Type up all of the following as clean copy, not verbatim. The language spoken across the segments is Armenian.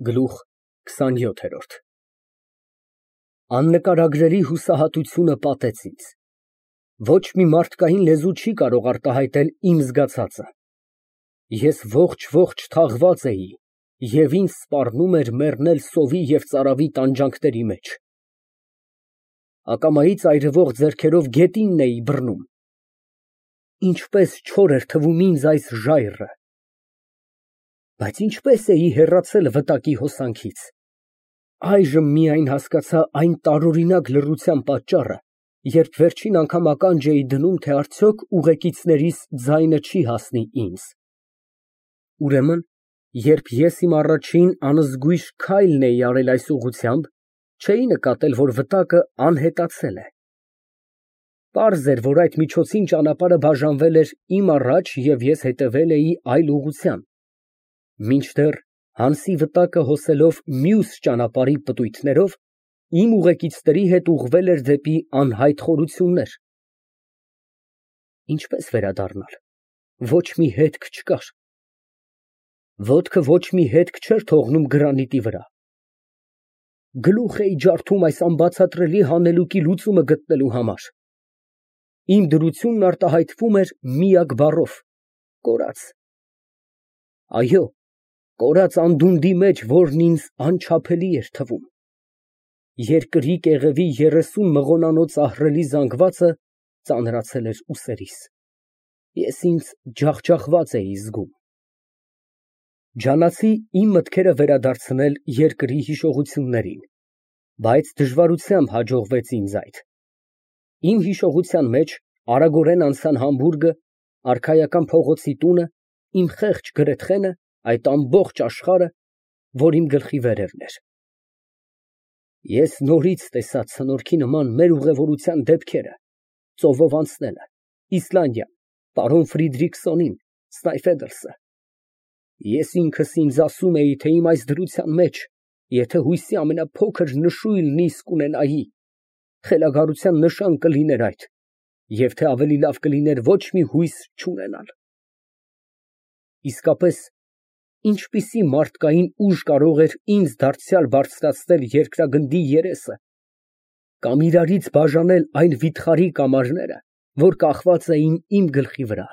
Գլուխ քսանյոթերորդ Աննկարագրելի հուսահատությունը պատեց ինձ։ Ոչ մի մարդկային լեզու չի կարող արտահայտել իմ զգացածը։ Ես ողջ թաղված էի և ինձ սպառնում էր մեռնել սովի և ծարավի տանջանքների մեջ։ Ակամայից այրվող ձեռքերով գետինն էի բռնում։ Ինչպես չոր էր թվում ինձ այս ժայռը։ Բայց ինչպես էի հեռացել վտակի հոսանքից։ Այժմ միայն հասկացա այն տարօրինակ լռության պատճառը, երբ վերջին անգամ ականջ էի դնում, թե արդյոք ուղեկիցներիս ձայնը չի հասնի ինձ։ Ուրեմն, երբ ես իմ առաջին անզգույշ քայլն էի արել այս ուղղությամբ, չէի նկատել, որ վտակը անհետացել է։ Պարզ էր, որ այդ միջոցին ճանապարհը բաժանվել էր իմ առաջ և ես հետևել էի այլ ուղղությամբ, մինչդեռ Հանսի վտակը հոսելով մյուս ճանապարհի պտույտներով, իմ ուղեկիցների հետ ուղղվել էր դեպի անհայտ խորություններ։ Ինչպե՞ս վերադառնալ։ Ոչ մի հետք չկար։ Ոտքը ոչ մի հետք չէր թողնում գրանիտի վրա։ Գլուխ էի ջարդում այս անբացատրելի հանելուկի լուծումը գտնելու համար։ Իմ դրությունն արտահայտվում էր միակ բառով՝ կորած։ Այո, կորած անդունդի մեջ, որն ինձ անչափելի էր թվում։ Երկրի կեղևի 30 մղոնանոց ահռելի զանգվածը ծանրացել էր ուսերիս։ Ես ինձ ջախջախված էի զգում։ Ջանացի իմ մտքերը վերադարձնել երկրի հիշողություններին, բայց դժվարությամբ հաջողվեց ինձ այդ։ Իմ հիշողության մեջ արագորեն անցան Համբուրգը, Արքայական փողոցի տունը, իմ խեղճ գրեթխենը, այդ ամբողջ աշխարհը, որ իմ գլխի վերևն էր։ Ես նորից տեսա ցնորքի նման մեր ուղևորության դեպքերը, ծովով անցնելը, Իսլանդիան, պարոն Ֆրիդրիքսոնին, Սնայֆեդերսը։ Ես ինքս ինձ ասում էի, թե իմ այս դրության մեջ, եթե հույսի ամենափոքր նշույլն իսկ ունենայի, խելագարության նշան կլիներ այդ, և թե ավելի լավ կլիներ ոչ մի հույս չունենալ։ Իսկապես, ինչպիսի մարդկային ուժ կարող էր ինձ դարձյալ բարձրացնել երկրագնդի երեսը կամ իրարից բաժանել այն վիթխարի կամարները, որ կախված էին իմ գլխի վրա։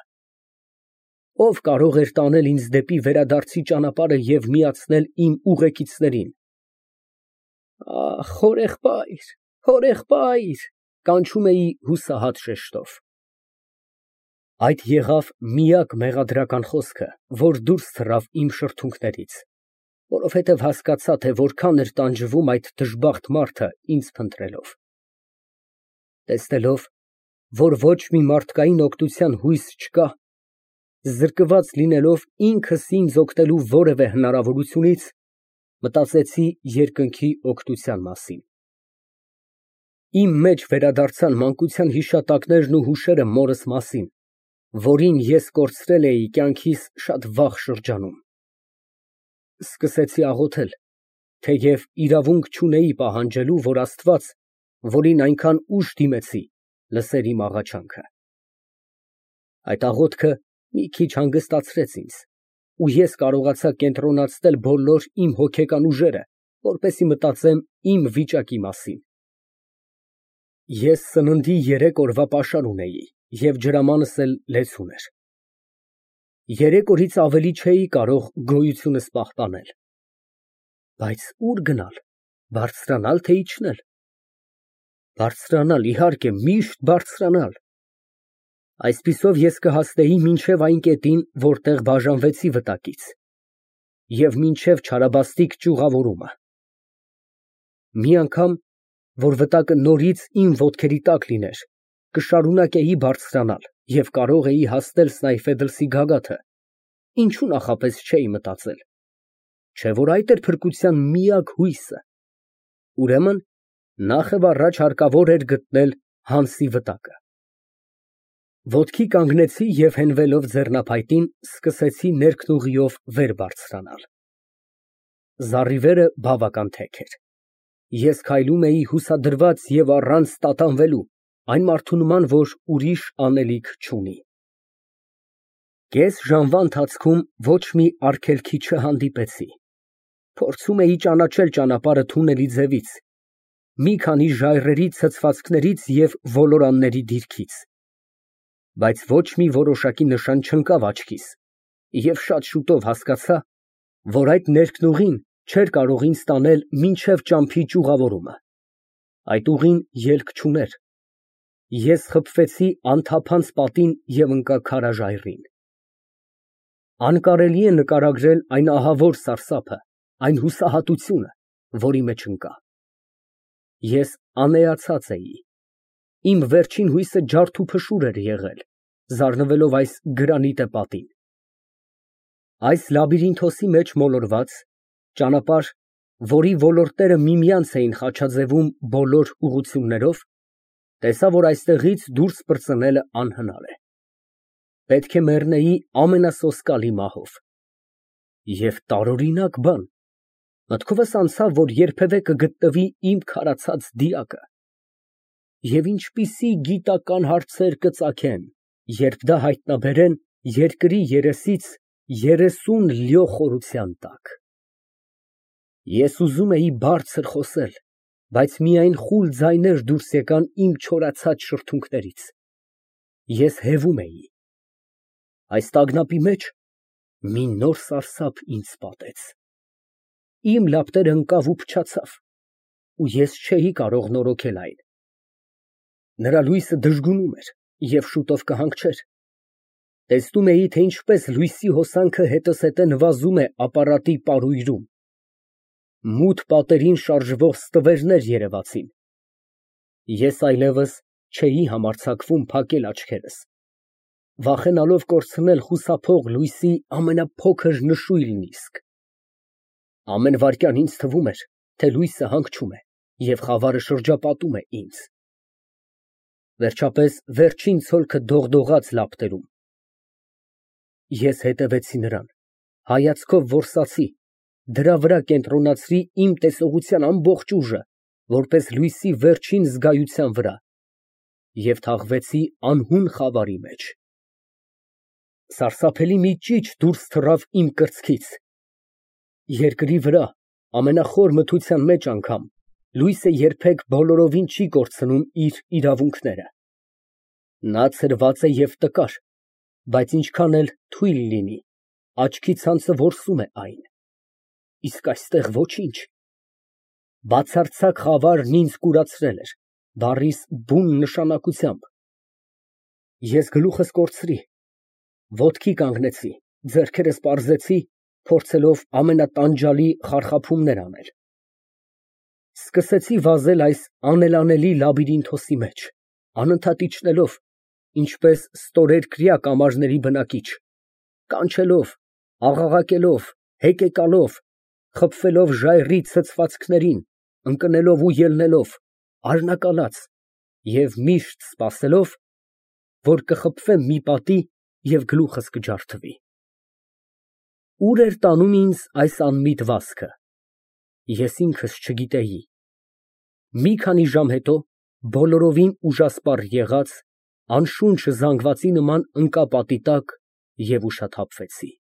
Ով կարող էր տանել ինձ դեպի վերադարձի ճանապարհը և միացնել իմ ուղեկիցներին։ Ախ, հորեղբայր, հորեղբայր, կանչում էի հուսահատ շեշտով։ Այդ եղավ միակ մեղադրական խոսքը, որ դուրս թռավ իմ շրթունքներից, որովհետև հասկացա, թե որքան էր տանջվում այդ դժբախտ մարդը ինձ փնտրելով։ Տեսնելով, որ ոչ մի մարդկային օգնության հույս չկա, զրկված լինելով ինքս ինձ օգնելու որևէ հնարավորությունից, մտածեցի երկնքի օգնության մասին։ Իմ մեջ վերադարձան մանկության հիշատակներն ու հուշերը մորս մասին, որին ես կորցրել էի կյանքիս շատ վաղ շրջանում։ Սկսեցի աղոթել, թեև իրավունք չունեի պահանջելու, որ Աստված, որին այնքան ուշ դիմեցի, լսեր իմ աղաչանքը։ Այդ աղոթքը մի քիչ հանգստացրեց ինձ, ու ես կարողացա կենտրոնացնել բոլոր իմ հոգեկան ուժերը, որպեսզի մտածեմ իմ վիճակի մասին։ Ես սննդի 3 օրվա պաշար ունեի և ջրամանս էլ լեցուն էր։ 3 օրից ավելի չէի կարող գոյությունս պահպանել։ Բայց ո՞ւր գնալ, բարձրանալ, թե իջնել։ Բարձրանալ, իհարկե, միշտ բարձրանալ։ Այսպիսով ես կհասնեի մինչև այն կետին, որտեղ բաժանվեցի վտակից, և մինչև չարաբաստիկ ճյուղավորումը։ Մի անգամ, որ վտակը նորից իմ ոտքերի տակ լիներ, կշարունակեի բարձրանալ և կարող էի հասնել Սնայֆեդերսի գագաթը, ինչու նախապես չէի մտածել, չէ՞ որ այդ էր փրկության միակ հույսը։ Ուրեմն նախևառաջ հարկավոր էր գտնել Հանսի վտակը։ Ոտքի կանգնեցի և հենվելով ձեռնափայտին, սկսեցի ներքնուղիով վեր բարձրանալ։ Զառիվերը բավական թեք էր։ Ես քայլում էի հուսադրված և առանց տատանվելու, այն մարդու նման, որ ուրիշ անելիք չունի։ Կես ժամվա ընթացքում ոչ մի արգելքի չհանդիպեցի։ Փորձում էի ճանաչել ճանապարհը թունելի ձևից, մի քանի ժայռերի ցցվածքներից և ոլորանների դիրքից, բայց ոչ մի որոշակի նշան չընկավ աչքիս և շատ շուտով հասկացա, որ այդ ներքնուղին չէր կարող ինձ տանել մինչև ճամփի ճյուղավորումը, այդ ուղին ելք չուներ, ես խփվեցի անթափանց պատին և ընկա քարաժայռին։ Անկարելի է նկարագրել այն ահավոր սարսափը, այն հուսահատությունը, որի մեջ ընկա։ Ես անեացած էի, իմ վերջին հույսը ջարդուփշուր էր եղել, զարնվելով այս գրանիտե պատին։ Այս լաբիրինթոսի մեջ մոլորված, ճանապարհ, որի ոլորտները միմյանց էին խաչաձևում բոլոր ուղղություններով, տեսա, որ այստեղից դուրս պրծնելը անհնար է։ Պետք է մեռնեի ամենասոսկալի մահով։ Եվ տարօրինակ բան, մտքովս անցավ, որ երբևէ կգտնվի իմ քարացած դիակը։ Եվ ինչպիսի գիտական հարցեր կծագեն, երբ դա հայտնաբերեն երկրի երեսից 30 լյո խորության տակ։ Ես ուզում էի բարձր խոսել, բայց միայն խուլ ձայներ դուրս եկան իմ չորացած շրթունքներից։ Ես հևում էի։ Այս տագնապի մեջ մի նոր սարսափ ինձ պատեց։ Իմ լապտերն ընկավ ու փչացավ, ու ես չէի կարող նորոգել այն։ Նրա լույսը դժգունում էր և շուտով կհանգչեր։ Տեսնում էի, թե ինչպես լույսի հոսանքը հետզհետե նվազում է ապարատի պարույրում։ Մութ պատերին շարժվող ստվերներ երևացին։ Ես այլևս չէի համարձակվում փակել աչքերս, վախենալով կորցնել խուսափող լույսի ամենափոքր նշույլն իսկ։ Ամեն վայրկյան ինձ թվում էր, թե լույսը հանգչում է և խավարը շրջապատում է ինձ։ Վերջապես վերջին ցոլքը դողդողաց լապտերում։ Ես հետևեցի նրան, հայացքով որսացի, դրա վրա կենտրոնացրի իմ տեսողության ամբողջ ուժը, որպես լույսի վերջին զգայության վրա, և թաղվեցի անհուն խավարի մեջ։ Սարսափելի մի ճիչ դուրս թռավ իմ կրծքից։ Երկրի վրա, ամենախոր մթության մեջ անգամ, լույսը երբեք բոլորովին չի կորցնում իր իրավունքները։ Նա ցրված է և տկար, բայց ինչքան էլ թույլ լինի, աչքի ցանցը որսում է այն։ Իսկ այստեղ ոչինչ։ Բացարձակ խավարն ինձ կուրացրել էր, բառիս բուն նշանակությամբ։ Ես գլուխս կորցրի, ոտքի կանգնեցի, ձեռքերս պարզեցի, փորձելով ամենատանջալի խարխափումներ անել։ Սկսեցի վազել այս անելանելի լաբիրինթոսի մեջ, անընդհատ իջնելով, ինչպես ստորերկրյա կամարների բնակիչ, կանչելով, աղաղակելով, հեկեկալով, խփվելով ժայռի ցցվածքներին, ընկնելով ու ելնելով, արնակալած և միշտ սպասելով, որ կխփվեմ մի պատի և գլուխս կջարդվի։ Ուր էր տանում ինձ այս անմիտ վազքը, ես ինքս չգիտեի։ Մի քանի ժամ հետո, բոլորովին ուժասպառ եղած, անշունչ զանգվածի նման ընկա պատի տակ և ուշաթափվեցի։